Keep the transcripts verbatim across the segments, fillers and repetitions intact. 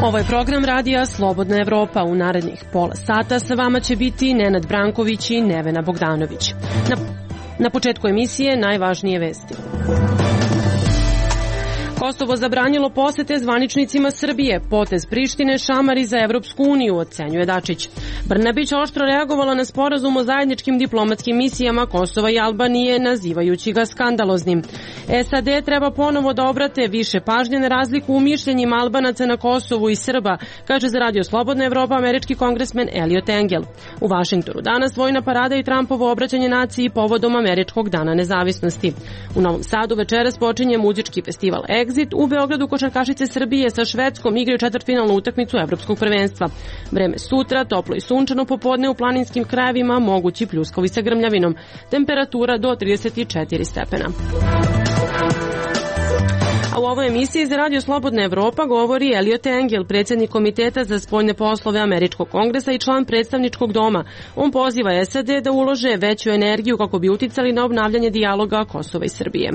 Ovo je program radija Slobodna Evropa. U narednih pola sata sa vama će biti Nenad Branković i Nevena Bogdanović. Na, na početku emisije najvažnije vesti. Kosovo zabranilo posete zvaničnicima Srbije. Potez Prištine šamari za Evropsku uniju, ocenjuje Dačić. Brnabić oštro reagovala na sporazum o zajedničkim diplomatskim misijama Kosova i Albanije, nazivajući ga skandaloznim. S A D treba ponovo da obrate više pažnje na razliku u mišljenjima Albanaca na Kosovu i Srba, kaže za Radio Slobodna Evropa američki kongresmen Elliot Engel. U Vašingtonu danas vojna parada i Trumpovo obraćanje naciji povodom američkog dana nezavisnosti. U Novom Sadu večeras počinje muzički festival Exit. U Beogradu košarkašice Srbije sa Švedskom igraju četvrtfinalnu utakmicu evropskog prvenstva. Vreme sutra, toplo i sunčano, popodne u planinskim krajevima mogući pljuskovi sa grmljavinom. Temperatura do trideset četiri stepena. A u ovoj emisiji za Radio Slobodna Evropa govori Elliot Engel, predsjednik Komiteta za spoljne poslove Američkog kongresa i član predstavničkog doma. On poziva S A D da ulože veću energiju kako bi uticali na obnavljanje dijaloga Kosova i Srbije.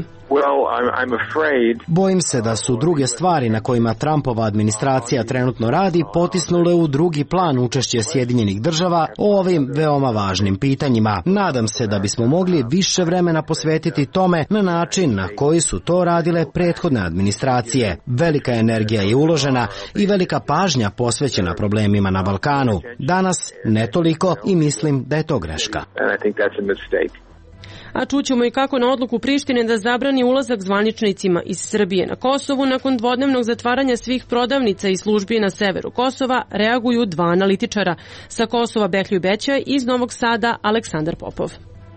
Bojim se da su druge stvari na kojima Trumpova administracija trenutno radi potisnule u drugi plan učešće Sjedinjenih država o ovim veoma važnim pitanjima. Nadam se da bismo mogli više vremena posvetiti tome na način na koji su to radile prethodne administracije. Velika energija je uložena i velika pažnja posvećena problemima na Balkanu. Danas ne toliko i mislim da je to greška. A čućemo i kako na odluku Prištine da zabrani ulazak zvaničnicima iz Srbije na Kosovu nakon dvodnevnog zatvaranja svih prodavnica i službi na severu Kosova reaguju dva analitičara. Sa Kosova Behlju Bećaj, iz Novog Sada Aleksandar Popov.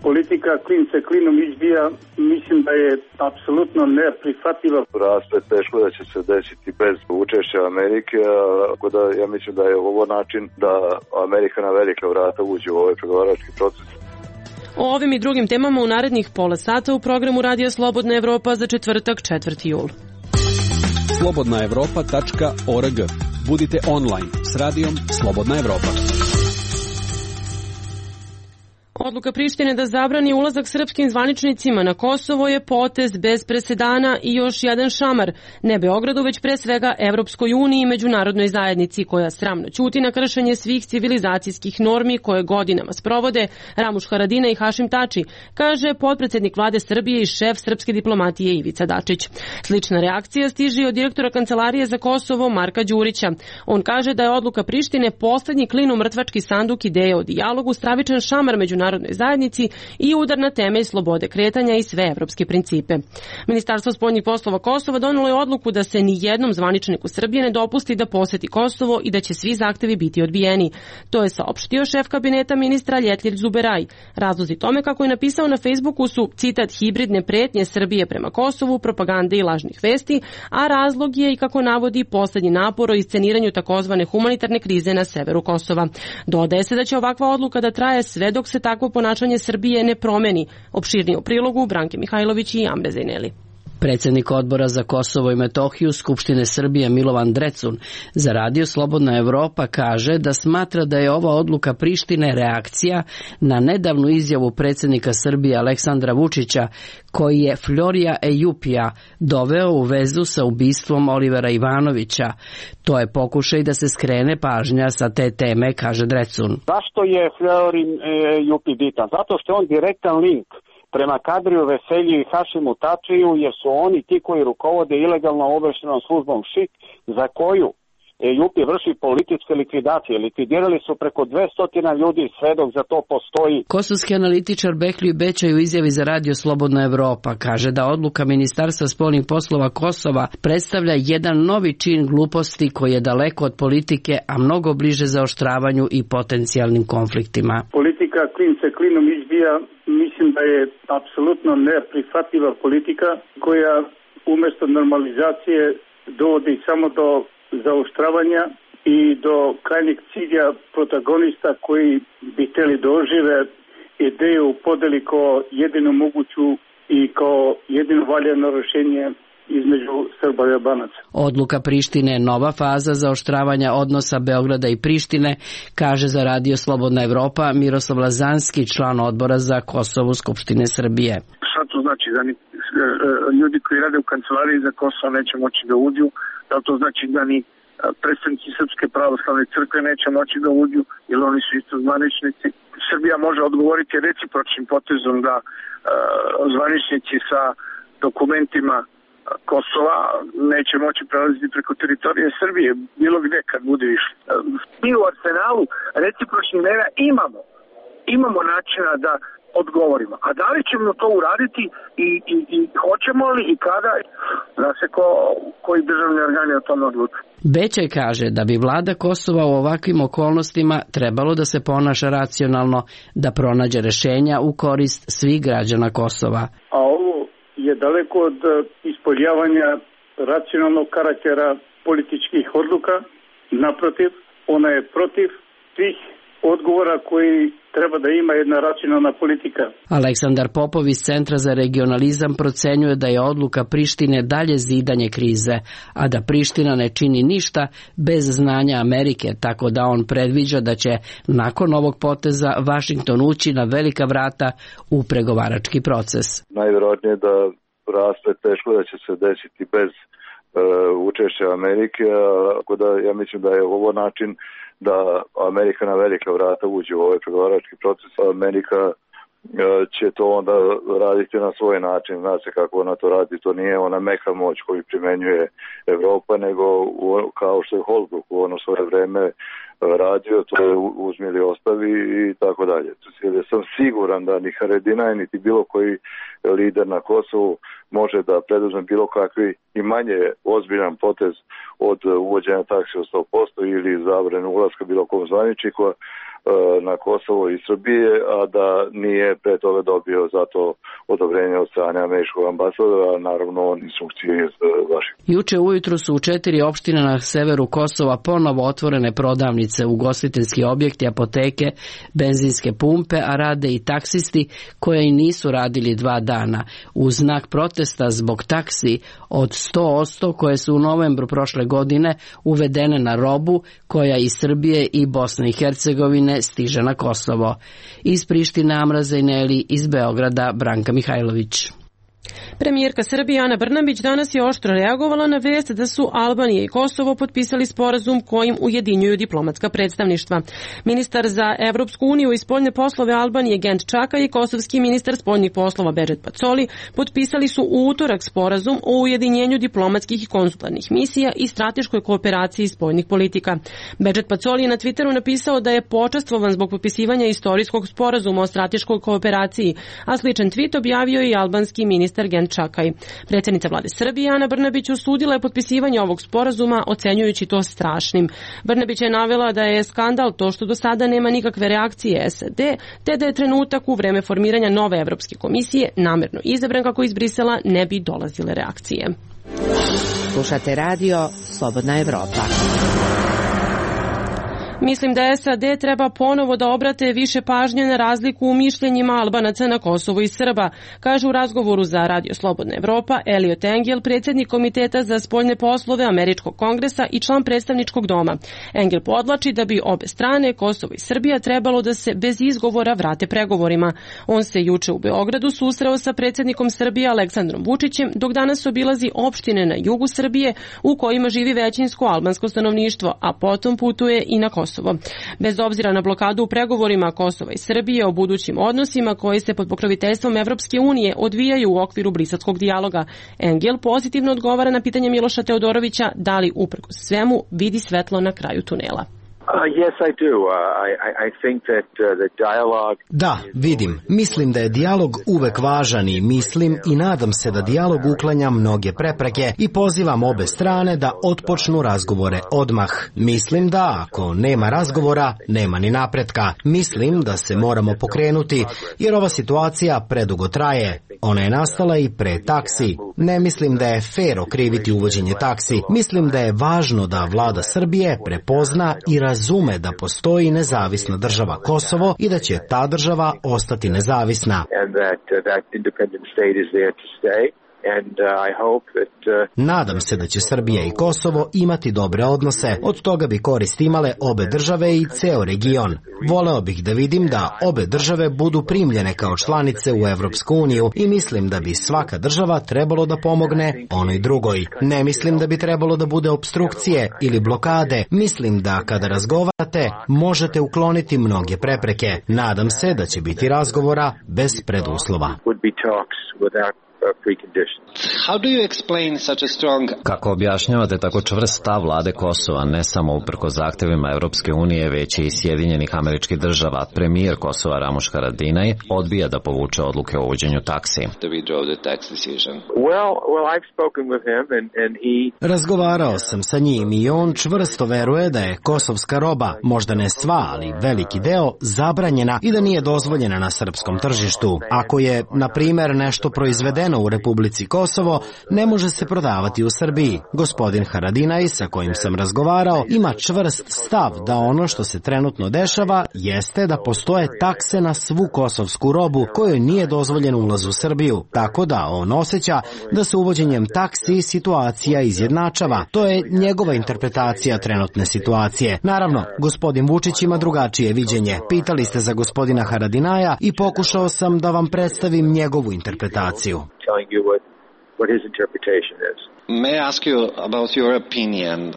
Politika klin se klinom izbija, mislim da je apsolutno neprihvatljiva. Raste teško da će se desiti bez učešća Amerike, tako da ja mislim da je ovo način da Amerika na velika vrata uđe u ovaj pregovarački proces. O ovim i drugim temama u narednih pola sata u programu Radija Slobodna Evropa za četvrtak četvrti jul. slobodna evropa tačka org. Budite online s radijom Slobodna Evropa. Odluka Prištine da zabrani ulazak srpskim zvaničnicima na Kosovo je potez bez presedana i još jedan šamar. Ne Beogradu, već pre svega Evropskoj uniji i međunarodnoj zajednici, koja sramno ćuti na kršenje svih civilizacijskih normi koje godinama sprovode Ramuš Haradinaj i Hašim Tači, kaže potpredsednik vlade Srbije i šef srpske diplomatije Ivica Dačić. Slična reakcija stiže od direktora Kancelarije za Kosovo Marka Đurića. On kaže da je odluka Prištine poslednji klin u mrtvački sanduk ideje o dijalogu, stravičan šamar međunarodnoj zajednici i udar na temelj slobode kretanja i sve evropske principe. Ministarstvo spoljnih poslova Kosova donelo je odluku da se ni jednom zvaničniku Srbije ne dopusti da poseti Kosovo i da će svi zahtevi biti odbijeni. To je saopštio šef kabineta ministra Ljetljir Zuberaj. Razlozi tome, kako je napisao na Facebooku, su, citat, hibridne pretnje Srbije prema Kosovu, propagande i lažnih vesti, a razlog je, i kako navodi, poslednji napor o isceniranju takozvane humanitarne krize na severu Kosova. Dodaje se da će ovakva odluka da traje sve dok se takvo ponašanje Srbije ne promeni. Opširnije u prilogu Branke Mihajlović i Amre Zajneli. Predsjednik odbora za Kosovo i Metohiju Skupštine Srbije Milovan Drecun za Radio Slobodna Evropa kaže da smatra da je ova odluka Prištine reakcija na nedavnu izjavu predsjednika Srbije Aleksandra Vučića, koji je Florija Ejupija doveo u vezu sa ubistvom Olivera Ivanovića. To je pokušaj da se skrene pažnja sa te teme, kaže Drecun. Zašto je Florin Ejupi bitan? Zato što je on direktan link prema Kadriju Veselju i Hašimu Tačiju, jer su oni ti koji rukovode ilegalno obavještajnom službom ŠIK, za koju Ejupi vrši političke likvidacije. Likvidirali su preko dvesta ljudi, sve dok za to postoji. Kosovski analitičar Behlju Bećaj u izjavi za Radio Slobodna Evropa kaže da odluka Ministarstva spoljnih poslova Kosova predstavlja jedan novi čin gluposti koji je daleko od politike, a mnogo bliže zaoštravanju i potencijalnim konfliktima. Politika klin se klinom izbija, mislim da je apsolutno neprihvatljiva politika koja umjesto normalizacije dovodi samo do zaoštravanja i do krajnjeg cilja protagonista koji bi htjeli da ožive ideju podeli kao jedinu moguću i kao jedino valjano rješenje između Srba i Albanaca. Odluka Prištine je nova faza zaoštravanja odnosa Beograda i Prištine, kaže za Radio Slobodna Evropa Miroslav Lazanski, član odbora za Kosovo Skupštine Srbije. Šta to znači? Da ni ljudi koji rade u kancelariji za Kosovo neće moći da uđu? Da to znači da ni predstavnici Srpske pravoslavne crkve neće moći da uđu, jer oni su isto zvaničnici. Srbija može odgovoriti recipročnim potezom da uh, zvaničnici sa dokumentima Kosova neće moći prelaziti preko teritorije Srbije, bilo gde kad bude išli. Mi u arsenalu recipročnih mera imamo. Imamo načina da odgovorimo. A da li ćemo to uraditi i, i, i hoćemo li i kada, zna se ko, koji državni organi o tome odlučuju. Bećaj kaže da bi vlada Kosova u ovakvim okolnostima trebalo da se ponaša racionalno, da pronađe rešenja u korist svih građana Kosova. A ovo je daleko od ispoljavanja racionalnog karaktera političkih odluka. Naprotiv, ona je protiv svih odgovora koji treba da ima jedna racionalna politika. Aleksandar Popov iz Centra za regionalizam procenjuje da je odluka Prištine dalje zidanje krize, a da Priština ne čini ništa bez znanja Amerike, tako da on predviđa da će nakon ovog poteza Vašington ući na velika vrata u pregovarački proces. Najvjerojatnije da rasplet teško da će se desiti bez uh, učešća Amerike, tako da ja mislim da je ovo način da Amerika na velika vrata uđe u ovaj pregovarački proces. Amerika će to onda raditi na svoj način. Zna se kako ona to radi. To nije ona meka moć koju primenjuje Evropa, nego kao što je Holbrooke u ono svoje vreme radio, to je uzmi ili ostavi i tako dalje. Ja sam siguran da ni Haradinaj, niti bilo koji lider na Kosovu može da preduzme bilo kakvi i manje ozbiljan potez od uvođenja taksi od sto posto ili zabrane ulaska bilo kom zvaničniku na Kosovo i Srbije, a da nije pre toga dobio za to odobrenje od strane američkog ambasadora, a naravno on instrukcije iz Vašingtona. Juče ujutru su u četiri opštine na severu Kosova ponovo otvorene prodavnice, ugostiteljski objekti, apoteke, benzinske pumpe, a rade i taksisti koje i nisu radili dva dana. U znak protesta zbog taksi od sto posto koje su u novembru prošle godine uvedene na robu koja iz Srbije i Bosne i Hercegovine stiže na Kosovo. Iz Prištine Amra Zajneli, iz Beograda Branka Mihajlović. Premijerka Srbije Ana Brnabić danas je oštro reagovala na vest da su Albanija i Kosovo potpisali sporazum kojim ujedinjuju diplomatska predstavništva. Ministar za Evropsku uniju i spoljne poslove Albanije Gent Čaka i kosovski ministar spoljnih poslova Bedžet Pacoli potpisali su u utorak sporazum o ujedinjenju diplomatskih i konzularnih misija i strateškoj kooperaciji spoljnih politika. Bedžet Pacoli je na Twitteru napisao da je počastvovan zbog potpisivanja istorijskog sporazuma o strateškoj kooperaciji, a sličan tweet objavio i albanski ministar Gent Čakaj. Predsjednica vlade Srbije Ana Brnabić osudila je potpisivanje ovog sporazuma, ocenjujući to strašnim. Brnabić je navela da je skandal to što do sada nema nikakve reakcije S A D, te da je trenutak u vreme formiranja nove Evropske komisije namerno izabran kako iz Brisela ne bi dolazile reakcije. Slušate radio Slobodna Evropa. Mislim da S A D treba ponovo da obrate više pažnje na razliku u mišljenjima Albanaca na Kosovo i Srba, kaže u razgovoru za Radio Slobodna Evropa Elliot Engel, predsjednik Komiteta za spoljne poslove Američkog kongresa i član predstavničkog doma. Engel podlači da bi obe strane, Kosovo i Srbija, trebalo da se bez izgovora vrate pregovorima. On se juče u Beogradu susreo sa predsjednikom Srbije Aleksandrom Vučićem, dok danas obilazi opštine na jugu Srbije u kojima živi većinsko albansko stanovništvo, a potom putuje i na Kosovo. Bez obzira na blokadu u pregovorima Kosova i Srbije o budućim odnosima koji se pod pokroviteljstvom Evropske unije odvijaju u okviru briselskog dijaloga, Engel pozitivno odgovara na pitanje Miloša Teodorovića da li uprkos svemu vidi svetlo na kraju tunela. Uh, yes, I do. Uh, I, I think that uh, the dialogue... Da, vidim. Mislim da je dijalog uvek važan i mislim i nadam se da dijalog uklanja mnoge prepreke i pozivam obe strane da otpočnu razgovore odmah. Mislim da ako nema razgovora, nema ni napretka. Mislim da se moramo pokrenuti jer ova situacija predugo traje. Ona je nastala i pre taksi. Ne mislim da je fer okriviti uvođenje taksi. Mislim da je važno da vlada Srbije prepozna i razume da postoji nezavisna država Kosovo i da će ta država ostati nezavisna. and uh, I hope that uh, Nadam se da će Srbija i Kosovo imati dobre odnose. Od toga bi korist imale obe države i ceo region. Voleo bih da vidim da obe države budu primljene kao članice u Evropsku uniju i mislim da bi svaka država trebalo da pomogne onoj drugoj. Ne mislim da bi trebalo da bude opstrukcije ili blokade. Mislim da kada razgovarate možete ukloniti mnoge prepreke. Nadam se da će biti razgovora bez preduslova. Kako objašnjavate tako čvrst stav vlade Kosova, ne samo uprkos zahtevima Evropske unije, već i Sjedinjenih Američkih Država? Premijer Kosova Ramuš Haradinaj odbija da povuče odluke o uvođenju taksi. Razgovarao sam sa njim i on čvrsto veruje da je kosovska roba, možda ne sva, ali veliki deo, zabranjena i da nije dozvoljena na srpskom tržištu. Ako je, na primer, nešto proizvedeno u Republici Kosovo, ne može se prodavati u Srbiji. Gospodin Haradinaj, sa kojim sam razgovarao, ima čvrst stav da ono što se trenutno dešava jeste da postoje takse na svu kosovsku robu kojoj nije dozvoljen ulaz u Srbiju, tako da on osjeća da se uvođenjem taksi situacija izjednačava. To je njegova interpretacija trenutne situacije. Naravno, gospodin Vučić ima drugačije viđenje. Pitali ste za gospodina Haradinaja i pokušao sam da vam predstavim njegovu interpretaciju.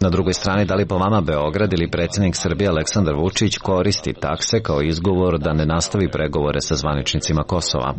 Na drugoj strani, da li po vama Beograd ili predsjednik Srbije Aleksandar Vučić koristi takse kao izgovor da ne nastavi pregovore sa zvaničnicima Kosova?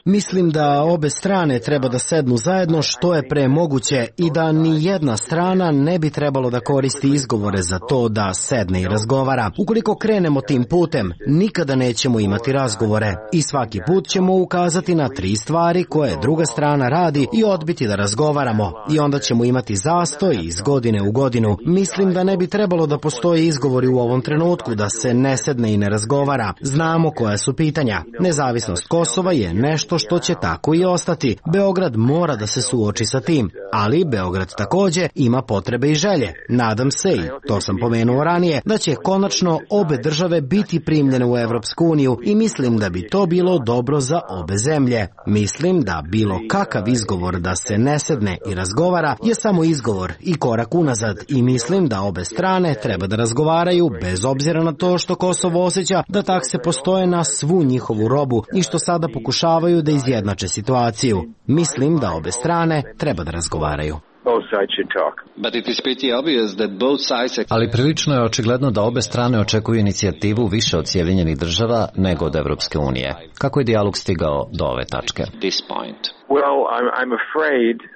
Mislim da obe strane treba da sednu zajedno što je pre moguće i da ni jedna strana ne bi trebalo da koristi izgovore za to da sedne i razgovara. Ukoliko krenemo tim putem, nikada nećemo imati razgovore i svaki put ćemo ukazati na tri stvari koje druga strana radi i odbiti da razgovaramo i onda ćemo imati zastoj iz godine u godinu. Mislim da ne bi trebalo da postoje izgovori u ovom trenutku da se ne sedne i ne razgovara. Znamo koja su pitanja. Nezavisnost Kosova je nešto što će tako i ostati. Beograd mora da se suoči sa tim, ali Beograd takođe ima potrebe i želje. Nadam se, i to sam pomenuo ranije, da će konačno obe države biti primljene u Evropsku uniju i mislim da bi to bilo dobro za obe zemlje. Mislim da bilo kakav izgovor da se ne sedne i razgovara je samo izgovor i korak unazad i mislim da obe strane treba da razgovaraju bez obzira na to što Kosovo osjeća da takse postoje na svu njihovu robu i što sada pokušavaju da izjednače situaciju. Mislim da obe strane treba da razgovaraju. Ali prilično je očigledno da obe strane očekuju inicijativu više od Sjedinjenih Država nego od Evropske unije. Kako je dijalog stigao do ove tačke? Well, I'm, I'm afraid uh,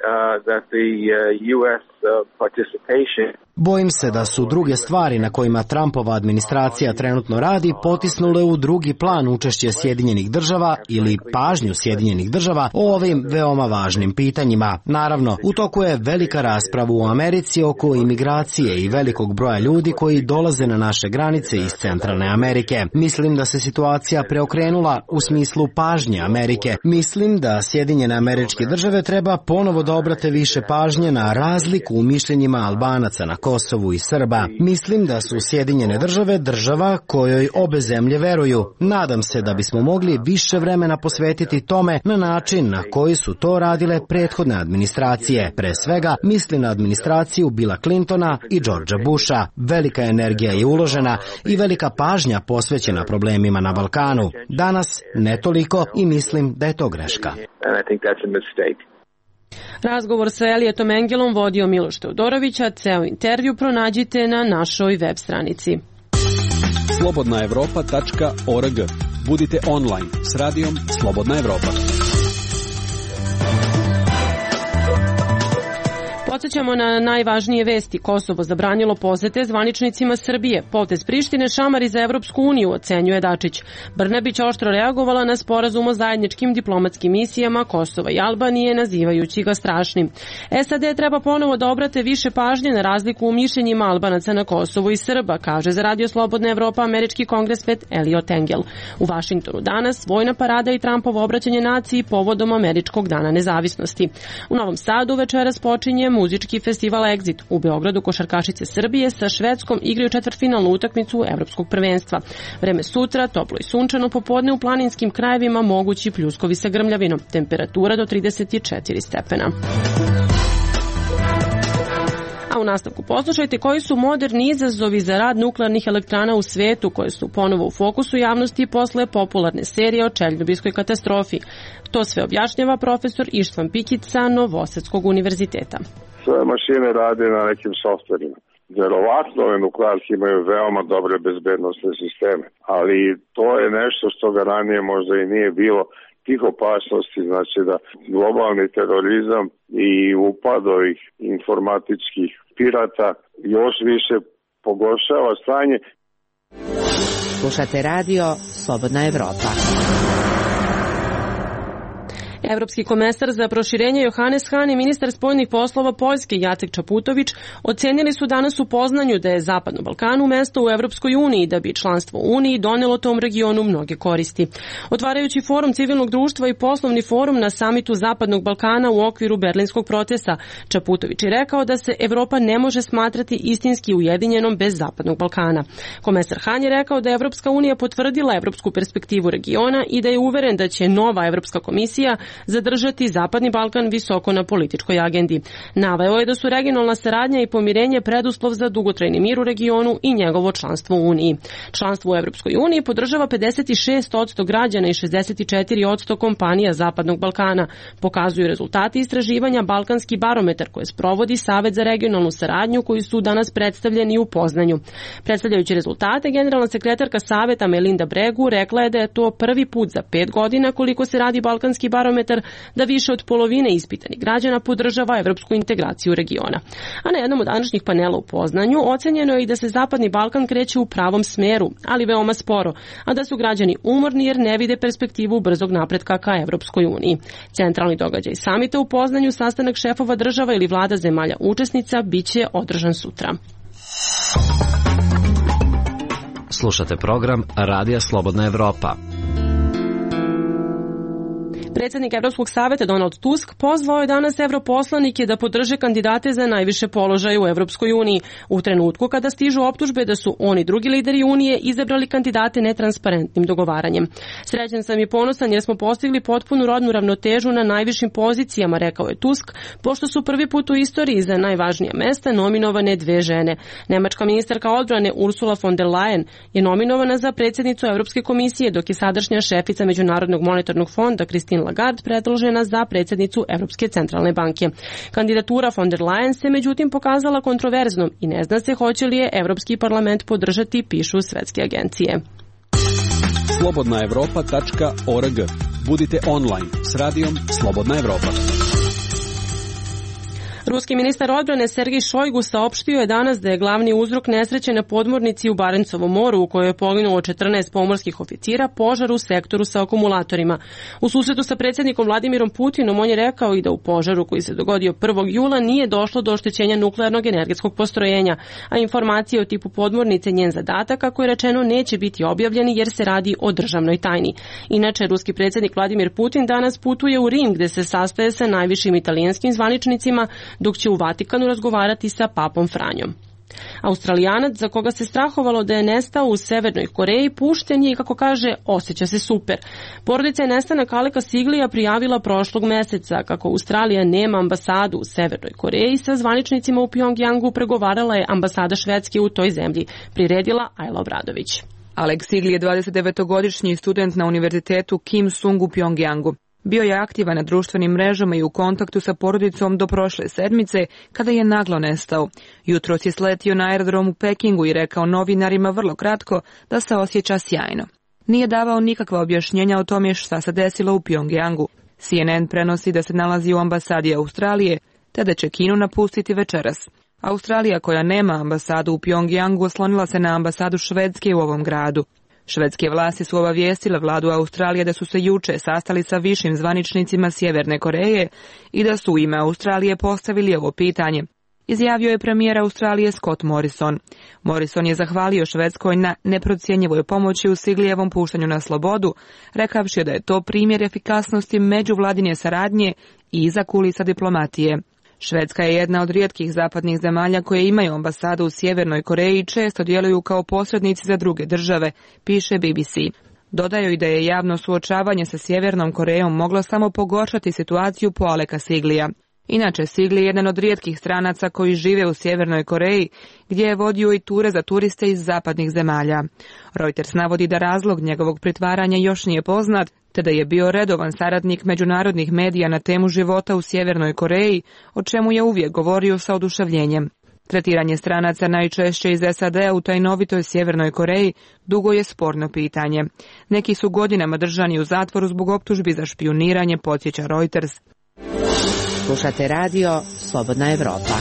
that the uh, U S uh, participation Bojim se da su druge stvari na kojima Trumpova administracija trenutno radi potisnule u drugi plan učešće Sjedinjenih Država ili pažnju Sjedinjenih Država o ovim veoma važnim pitanjima. Naravno, u toku je velika rasprava u Americi oko imigracije i velikog broja ljudi koji dolaze na naše granice iz Centralne Amerike. Mislim da se situacija preokrenula u smislu pažnje Amerike. Mislim da Sjedinjene Američke Države treba ponovo da obrate više pažnje na razliku u mišljenjima Albanaca na Kosovu i Srba. Mislim da su Sjedinjene Države država kojoj obe zemlje veruju. Nadam se da bismo mogli više vremena posvetiti tome na način na koji su to radile prethodne administracije. Pre svega mislim na administraciju Billa Clintona i Georgea Busha. Velika energija je uložena i velika pažnja posvećena problemima na Balkanu. Danas ne toliko i mislim da je to greška. Razgovor sa Elijetom Engelom vodio Miloš Teodorović, a ceo intervju pronađite na našoj web stranici. slobodna evropa tačka org. Budite online s radijom Slobodna Evropa. Podsećamo na najvažnije vesti. Kosovo zabranilo posete zvaničnicima Srbije. Potez Prištine šamari za Evropsku uniju, ocenjuje Dačić. Brnabić oštro reagovala na sporazum o zajedničkim diplomatskim misijama Kosova i Albanije, nazivajući ga strašnim. S A D treba ponovo da obrate više pažnje na razliku u mišljenjima Albanaca na Kosovu i Srba, kaže za Radio Slobodna Evropa američki kongresmen Eliot Engel. U Vašingtonu danas vojna parada i Trumpovo obraćanje naciji povodom Američkog dana nezavisnosti. U Novom Sadu večeras počinje muzički muzički festival Exit. U Beogradu košarkašice Srbije sa Švedskom igraju četvrtfinalnu utakmicu Evropskog prvenstva. Vreme sutra, toplo i sunčano, popodne u planinskim krajevima mogući pljuskovi sa grmljavinom. Temperatura do trideset četiri stepena. A u nastavku poslušajte koji su moderni izazovi za rad nuklearnih elektrana u svetu, koje su ponovo u fokusu javnosti posle popularne serije o Černobilskoj katastrofi. To sve objašnjava profesor Ištvan Pikić sa Novosadskog univerziteta. Sve mašine rade na nekim softverima. Verovatno ove nuklearke imaju veoma dobre bezbednostne sisteme, ali to je nešto što ga ranije možda i nije bilo. Tih opasnosti, znači da globalni terorizam i upad ovih informatičkih pirata još više pogoršava stanje. Slušate radio Slobodna Evropa. Evropski komesar za proširenje Johannes Hahn i ministar spoljnih poslova Poljske Jacek Čaputović ocenili su danas u Poznanju da je Zapadno Balkanu mesto u Evropskoj uniji, da bi članstvo u Uniji donelo tom regionu mnoge koristi. Otvarajući forum civilnog društva i poslovni forum na samitu Zapadnog Balkana u okviru berlinskog procesa, Čaputović je rekao da se Evropa ne može smatrati istinski ujedinjenom bez Zapadnog Balkana. Komesar Hahn je rekao da je Evropska unija potvrdila evropsku perspektivu regiona i da je uveren da će nova Evropska komisija zadržati Zapadni Balkan visoko na političkoj agendi. Naveo je da su regionalna saradnja i pomirenje preduslov za dugotrajni mir u regionu i njegovo članstvo u Uniji. Članstvo u Evropskoj uniji podržava pedeset šest posto građana i šezdeset četiri posto kompanija Zapadnog Balkana, pokazuju rezultati istraživanja Balkanski barometar koje sprovodi Savet za regionalnu saradnju, koji su danas predstavljeni u Poznanju. Predstavljajući rezultate, generalna sekretarka Saveta Melinda Bregu rekla je da je to prvi put za pet godina koliko se radi Balkanski barometar da više od polovine ispitanih građana podržava evropsku integraciju regiona. A na jednom od današnjih panela u Poznanju ocenjeno je i da se Zapadni Balkan kreće u pravom smeru, ali veoma sporo, a da su građani umorni jer ne vide perspektivu brzog napretka ka Evropskoj uniji. Centralni događaj samita u Poznanju, sastanak šefova država ili vlada zemalja učesnica, biće održan sutra. Slušate program Radija Slobodna Evropa. Predsjednik Evropskog saveta Donald Tusk pozvao je danas evroposlanike da podrže kandidate za najviše položaje u Evropskoj uniji u trenutku kada stižu optužbe da su oni drugi lideri Unije izabrali kandidate netransparentnim dogovaranjem. Srećan sam i ponosan jer smo postigli potpunu rodnu ravnotežu na najvišim pozicijama, rekao je Tusk, pošto su prvi put u istoriji za najvažnija mesta nominovane dve žene. Nemačka ministarka odbrane Ursula von der Leyen je nominovana za predsjednicu Evropske komisije, dok je sadašnja šefica Međunarodnog monetarnog fonda Christine Lagarde predložena za predsjednicu Evropske centralne banke. Kandidatura von der Leyen se međutim pokazala kontroverznom i ne zna se hoće li je Evropski parlament podržati, pišu svetske agencije. slobodna evropa tačka org. Budite online s radijom Slobodna Evropa. Ruski ministar odbrane Sergej Šojgu saopštio je danas da je glavni uzrok nesreće na podmornici u Barencovom moru, u kojoj je poginulo četrnaest pomorskih oficira, požar u sektoru sa akumulatorima. U susretu sa predsjednikom Vladimirom Putinom on je rekao i da u požaru koji se dogodio prvog jula nije došlo do oštećenja nuklearnog energetskog postrojenja, a informacije o tipu podmornice njen zadatak, kako je rečeno, neće biti objavljeni jer se radi o državnoj tajni. Inače, ruski predsjednik Vladimir Putin danas putuje u Rim, gde se sastaje sa najvišim italijanskim zvaničnicima, dok će u Vatikanu razgovarati sa papom Franjom. Australijanac, za koga se strahovalo da je nestao u Severnoj Koreji, pušten je i, kako kaže, osjeća se super. Porodica je nestanak Aleka Siglija prijavila prošlog meseca. Kako Australija nema ambasadu u Severnoj Koreji, sa zvaničnicima u Pjongjangu pregovarala je ambasada Švedske u toj zemlji, priredila Ajla Obradović. Alek Sigli je dvadesetdevetogodišnji student na univerzitetu Kim Sung u Pjongjangu. Bio je aktivan na društvenim mrežama i u kontaktu sa porodicom do prošle sedmice, kada je naglo nestao. Jutros je sletio na aerodrom u Pekingu i rekao novinarima vrlo kratko da se osjeća sjajno. Nije davao nikakva objašnjenja o tome šta se desilo u Pjongjangu. C N N prenosi da se nalazi u ambasadi Australije, te da će Kinu napustiti večeras. Australija, koja nema ambasadu u Pjongjangu, oslonila se na ambasadu Švedske u ovom gradu. Švedske vlasti su obavijestile vladu Australije da su se juče sastali sa višim zvaničnicima Sjeverne Koreje i da su u ime Australije postavili ovo pitanje. Izjavio je premijer Australije Scott Morrison. Morrison je zahvalio Švedskoj na neprocjenjivoj pomoći u Siglijevom puštanju na slobodu, rekavši da je to primjer efikasnosti međuvladine saradnje i iza kulisa diplomatije. Švedska je jedna od rijetkih zapadnih zemalja koje imaju ambasadu u Sjevernoj Koreji i često djeluju kao posrednici za druge države, piše B B C. Dodaju i da je javno suočavanje sa Sjevernom Korejom moglo samo pogoršati situaciju po Aleka Siglija. Inače, Sigli je jedan od rijetkih stranaca koji žive u Sjevernoj Koreji, gdje je vodio i ture za turiste iz zapadnih zemalja. Reuters navodi da razlog njegovog pritvaranja još nije poznat, te da je bio redovan saradnik međunarodnih medija na temu života u Sjevernoj Koreji, o čemu je uvijek govorio sa oduševljenjem. Tretiranje stranaca najčešće iz S A D-a u tajnovitoj Sjevernoj Koreji dugo je sporno pitanje. Neki su godinama držani u zatvoru zbog optužbi za špijuniranje, podsjeća Reuters. Slušate radio Slobodna Evropa.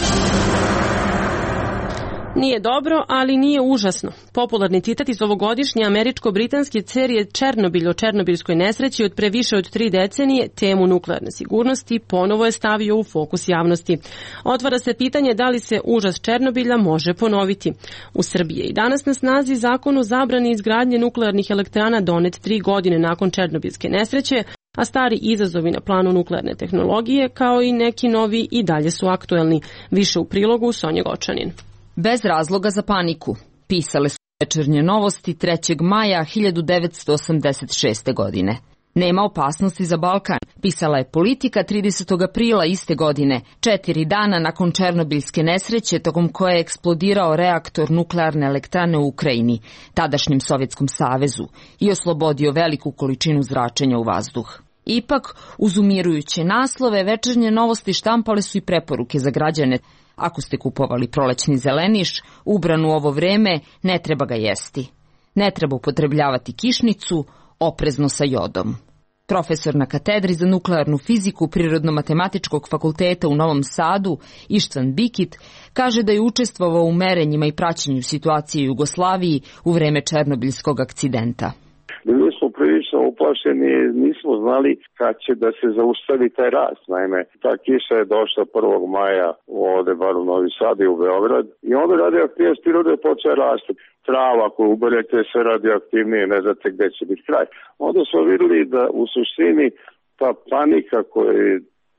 Nije dobro, ali nije užasno. Popularni citat iz ovogodišnje američko-britanske serije Černobilj o černobilskoj nesreći od pre više od tri decenije temu nuklearne sigurnosti ponovo je stavio u fokus javnosti. Otvara se pitanje da li se užas Černobilja može ponoviti. U Srbiji je i danas na snazi zakon o zabrani izgradnje nuklearnih elektrana donet tri godine nakon černobilske nesreće, a stari izazovi na planu nuklearne tehnologije kao i neki novi i dalje su aktuelni. Više u prilogu Sonja Gočanin. Bez razloga za paniku, pisale su Večernje novosti trećeg maja hiljadu devetsto osamdeset šeste. godine. Nema opasnosti za Balkan, pisala je Politika tridesetog aprila iste godine, četiri dana nakon černobilske nesreće tokom koje je eksplodirao reaktor nuklearne elektrane u Ukrajini, tadašnjem Sovjetskom savezu, i oslobodio veliku količinu zračenja u vazduh. Ipak, uz umirujuće naslove, Večernje novosti štampale su i preporuke za građane. Ako ste kupovali prolećni zeleniš, ubran u ovo vreme, ne treba ga jesti. Ne treba upotrebljavati kišnicu, oprezno sa jodom. Profesor na katedri za nuklearnu fiziku Prirodno-matematičkog fakulteta u Novom Sadu, Ištvan Bikit, kaže da je učestvovao u merenjima i praćenju situacije u Jugoslaviji u vreme černobiljskog akcidenta. Bili smo prilično uplašeni, nismo znali kad će da se zaustavi taj rast. Naime, ta kiša je došla prvog maja ovde, bar u Novi Sad i u Beograd, i onda radioaktivnost prirode je počela rasti. Trava, ako uberete sve radioaktivnije, ne znate gde će biti kraj. Onda smo vidjeli da u suštini ta panika koja je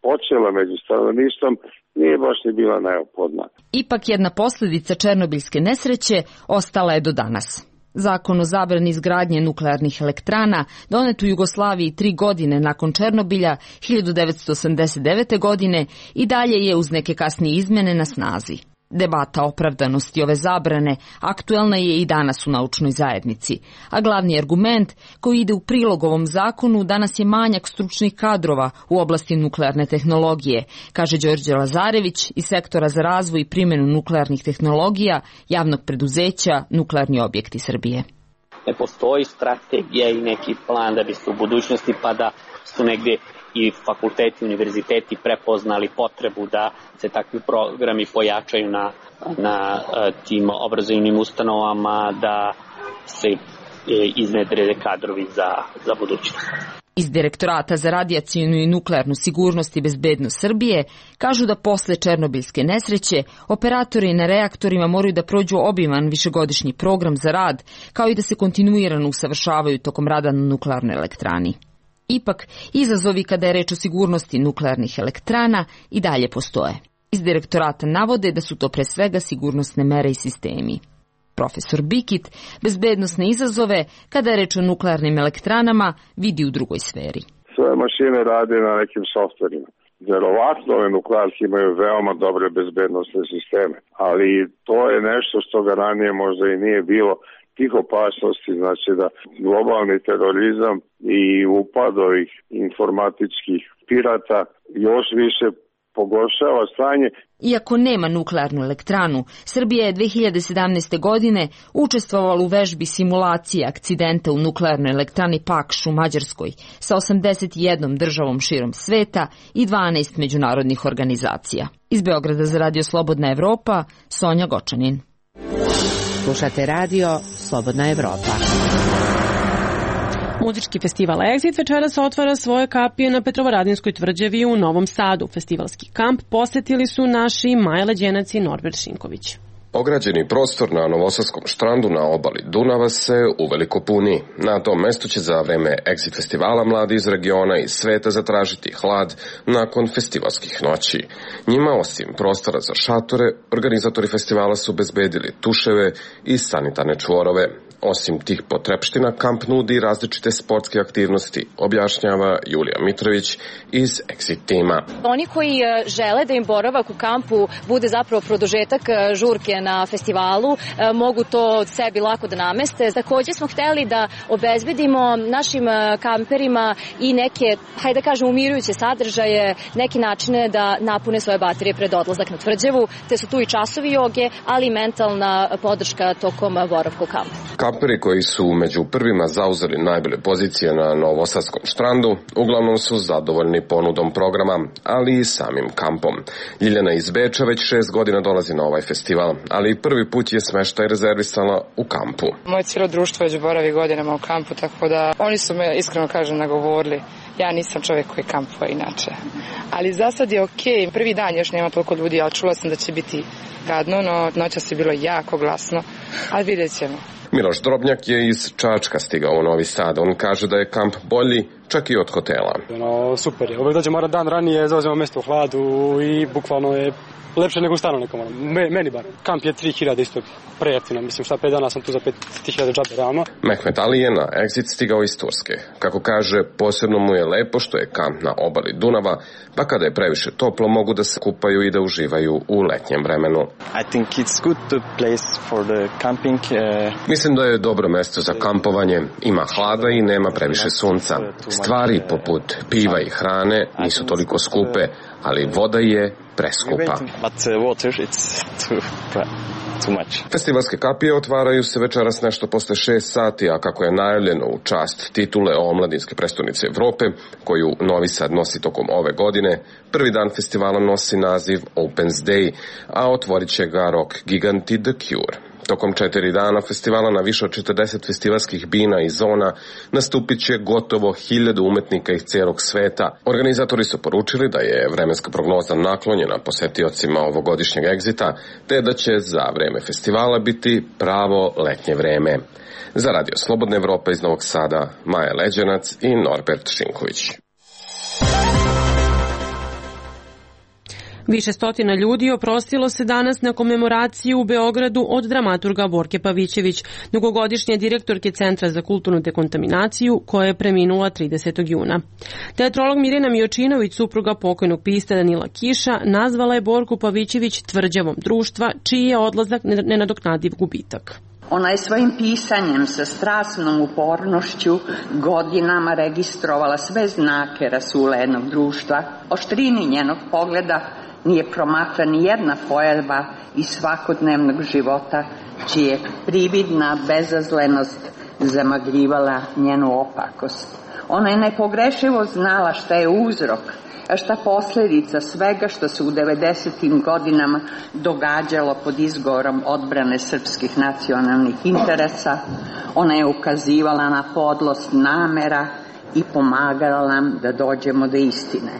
počela među stanovništvom nije baš ni bila neophodna. Ipak jedna posljedica černobilske nesreće ostala je do danas. Zakon o zabrani izgradnje nuklearnih elektrana, donet u Jugoslaviji tri godine nakon Černobilja hiljadu devetsto osamdeset devete. godine, i dalje je uz neke kasnije izmjene na snazi. Debata o opravdanosti ove zabrane aktuelna je i danas u naučnoj zajednici, a glavni argument koji ide u prilog ovom zakonu danas je manjak stručnih kadrova u oblasti nuklearne tehnologije, kaže Đorđe Lazarević iz sektora za razvoj i primjenu nuklearnih tehnologija javnog preduzeća Nuklearni objekti Srbije. Ne postoji strategija i neki plan da bi se u budućnosti, pa da su negdje i fakulteti, univerziteti prepoznali potrebu da se takvi programi pojačaju na, na tim obrazovnim ustanovama, da se iznedre kadrovi za, za budućnost. Iz Direktorata za radijacionu i nuklearnu sigurnost i bezbednost Srbije kažu da posle černobilske nesreće operatori na reaktorima moraju da prođu obiman višegodišnji program za rad, kao i da se kontinuirano usavršavaju tokom rada na nuklearnoj elektrani. Ipak, izazovi kada je reč o sigurnosti nuklearnih elektrana i dalje postoje. Iz Direktorata navode da su to pre svega sigurnosne mere i sistemi. Profesor Bikit bezbednosne izazove kada je reč o nuklearnim elektranama vidi u drugoj sferi. Sve mašine rade na nekim softverima. Verovatno ove nuklearke imaju veoma dobre bezbednosne sisteme, ali to je nešto što ga ranije možda i nije bilo. Tih opasnosti, znači da globalni terorizam i upad ovih informatičkih pirata još više pogoršava stanje. Iako nema nuklearnu elektranu, Srbija je dve hiljade sedamnaeste. godine učestvovala u vežbi simulacije akcidenta u nuklearnoj elektrani Pakš u Mađarskoj sa osamdeset jednom državom širom sveta i dvanaest međunarodnih organizacija. Iz Beograda za Radio Slobodna Evropa, Sonja Gočanin. Slušate radio Slobodna Evropa. Muzički festival Exit večeras otvara svoje kapije na Petrovaradinskoj tvrđavi u Novom Sadu. Festivalski kamp posetili su naši Maja Leđenac i Norbert Šinković. Ograđeni prostor na Novosadskom štrandu na obali Dunava se uveliko puni. Na tom mestu će za vreme Exit festivala mladi iz regiona i sveta zatražiti hlad nakon festivalskih noći. Njima, osim prostora za šatore, organizatori festivala su obezbedili tuševe i sanitarne čvorove. Osim tih potrepština, kamp nudi različite sportske aktivnosti, objašnjava Julija Mitrović iz Exit tima. Oni koji žele da im boravak u kampu bude zapravo produžetak žurke na festivalu, mogu to sebi lako da nameste. Takođe smo hteli da obezbedimo našim kamperima i neke, hajde da kažem, umirujuće sadržaje, neke načine da napune svoje baterije pred odlazak na tvrđavu, te su tu i časovi joge, ali i mentalna podrška tokom boravka u kampu. Kamperi koji su među prvima zauzeli najbolje pozicije na Novosadskom štrandu uglavnom su zadovoljni ponudom programa, ali i samim kampom. Ljiljana iz Beča već šest godina dolazi na ovaj festival, ali prvi put je smeštaj rezervisala u kampu. Moje cijelo društvo već boravi godinama u kampu, tako da oni su me, iskreno kažem, nagovorili. Ja nisam čovjek koji kampuje inače. Ali za sad je okej. Prvi dan još nema toliko ljudi, ali čula sam da će biti gadno, no noćas je bilo jako glasno, ali vidjet ćemo. Miloš Drobnjak je iz Čačka stigao u Novi Sad. On kaže da je kamp bolji čak i od hotela. No, super je. Uvijek dođemo dan ranije, zauzemo mjesto u hladu i bukvalno je lepše nego u stanu nekom. Me, meni bar. Kamp je tri hiljade isto prejeftino. Mislim šta pet dana sam tu za pet hiljada džabe realno. Mehmet Ali je na Exit stigao iz Turske. Kako kaže, posebno mu je lepo što je kamp na obali Dunava, pa kada je previše toplo mogu da se kupaju i da uživaju u letnjem vremenu. I think it's good to place for the camping. Uh... Mislim da je dobro mesto za kampovanje. Ima hlada i nema previše sunca. Stvari poput piva i hrane nisu toliko skupe, ali voda je preskupa. Festivalske kapije otvaraju se večeras nešto posle šest sati, a kako je najavljeno u čast titule omladinske prestonice Evrope, koju Novi Sad nosi tokom ove godine, prvi dan festivala nosi naziv Opens Day, a otvorit će ga rock giganti The Cure. Tokom četiri dana festivala na više od četrdeset festivalskih bina i zona nastupit će gotovo hiljadu umetnika iz celog sveta. Organizatori su poručili da je vremenska prognoza naklonjena posetiocima ovogodišnjeg Exita, te da će za vreme festivala biti pravo letnje vreme. Za Radio Slobodna Evropa iz Novog Sada, Maja Leđenac i Norbert Šinković. Više stotina ljudi oprostilo se danas na komemoraciju u Beogradu od dramaturga Borke Pavićević, dugogodišnje direktorke Centra za kulturnu dekontaminaciju, koja je preminula tridesetog juna. Teatrolog Mirjana Mijočinović, supruga pokojnog pisca Danila Kiša, nazvala je Borku Pavićević tvrđavom društva, čiji je odlazak nenadoknadiv gubitak. Ona je svojim pisanjem sa strasnom upornošću godinama registrovala sve znake rasula jednog društva. Oštrini njenog pogleda nije promakla ni jedna pojava iz svakodnevnog života, čija je prividna bezazlenost zamagljivala njenu opakost. Ona je nepogrešivo znala šta je uzrok, a šta posljedica svega što se u devedesetim godinama događalo pod izgovorom odbrane srpskih nacionalnih interesa. Ona je ukazivala na podlost namera i pomagala nam da dođemo do istine.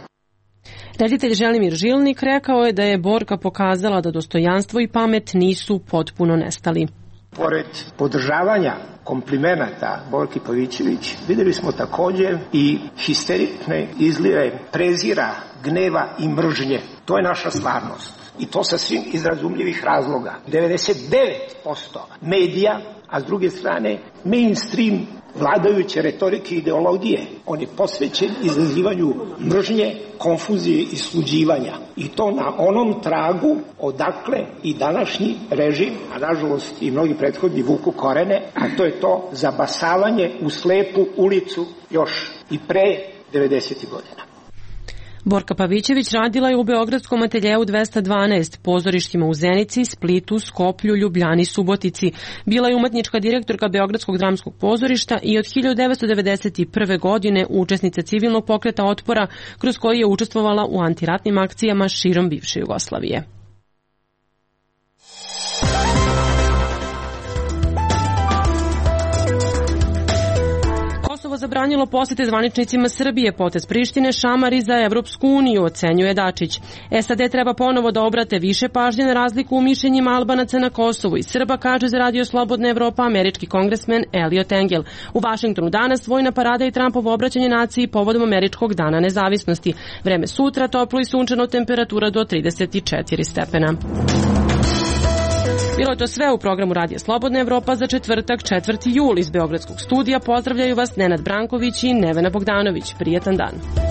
Reditelj Želimir Žilnik rekao je da je Borka pokazala da dostojanstvo i pamet nisu potpuno nestali. Pored podržavanja komplimenata Borki Pavićević, videli smo također i histerične izlive prezira, gneva i mržnje. To je naša stvarnost. I to sa svim iz razumljivih razloga. devedeset devet posto medija, a s druge strane mainstream vladajuće retorike i ideologije, on je posvećen izazivanju mržnje, konfuzije i sluđivanja. I to na onom tragu odakle i današnji režim, a nažalost i mnogi prethodni vuku korene, a to je to zabasavanje u slepu ulicu još i pre devedesetih godina. Borka Pavićević radila je u Beogradskom ateljeu dvesta dvanaest, pozorištima u Zenici, Splitu, Skoplju, Ljubljani, Subotici. Bila je umetnička direktorka Beogradskog dramskog pozorišta i od hiljadu devetsto devedeset prve. godine učesnica civilnog pokreta otpora, kroz koji je učestvovala u antiratnim akcijama širom bivše Jugoslavije. zabranilo posete zvaničnicima Srbije, potez Prištine šamari za Evropsku uniju, ocenjuje Dačić. S A D treba ponovo da obrate više pažnje na razliku u mišljenjima Albanaca na Kosovu i Srba, kaže za Radio Slobodna Evropa američki kongresmen Eliot Engel. U Vašingtonu danas vojna parada i Trumpovo obraćanje naciji povodom američkog dana nezavisnosti. Vreme sutra toplo i sunčano, temperatura do trideset četiri stepena. Bilo je to sve u programu Radija Slobodna Evropa za četvrtak, četvrti jul. Iz Beogradskog studija pozdravljaju vas Nenad Branković i Nevena Bogdanović. Prijetan dan.